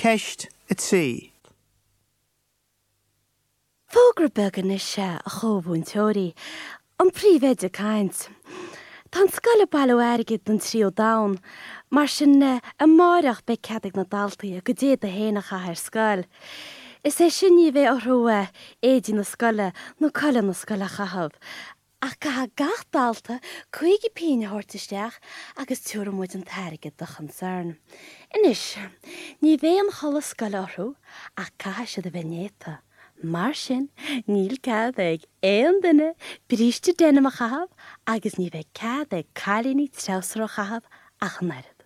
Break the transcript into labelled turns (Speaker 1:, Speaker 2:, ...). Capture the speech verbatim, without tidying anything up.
Speaker 1: Ceist a trí.
Speaker 2: Fógra beag anois a chomh-mhúinteoirí, an príomhoide ag caint. Tá an scoil ag bailiú airgid don tríú domhan, mar sin amáireach beidh cead ag na daltaí a gcuid éadaí féin a chaitheamh ar scoil. Is é sin ní bheidh orthu éadaí na scoile nó culaith na scoile a chaitheamh, ach caithfidh gach dalta cúig pingin a thabhairt isteach agus tabharfaidh muid an t-airgead do Concern. Anois, ní bheidh an chulaith scoile orthu ach caithfidh siad a bheith néata. Mar sin, níl cead ag aon duine bríste denim a chaitheamh agus ní bheidh cead ag cailíní treabhsar a chaitheamh ach an oiread.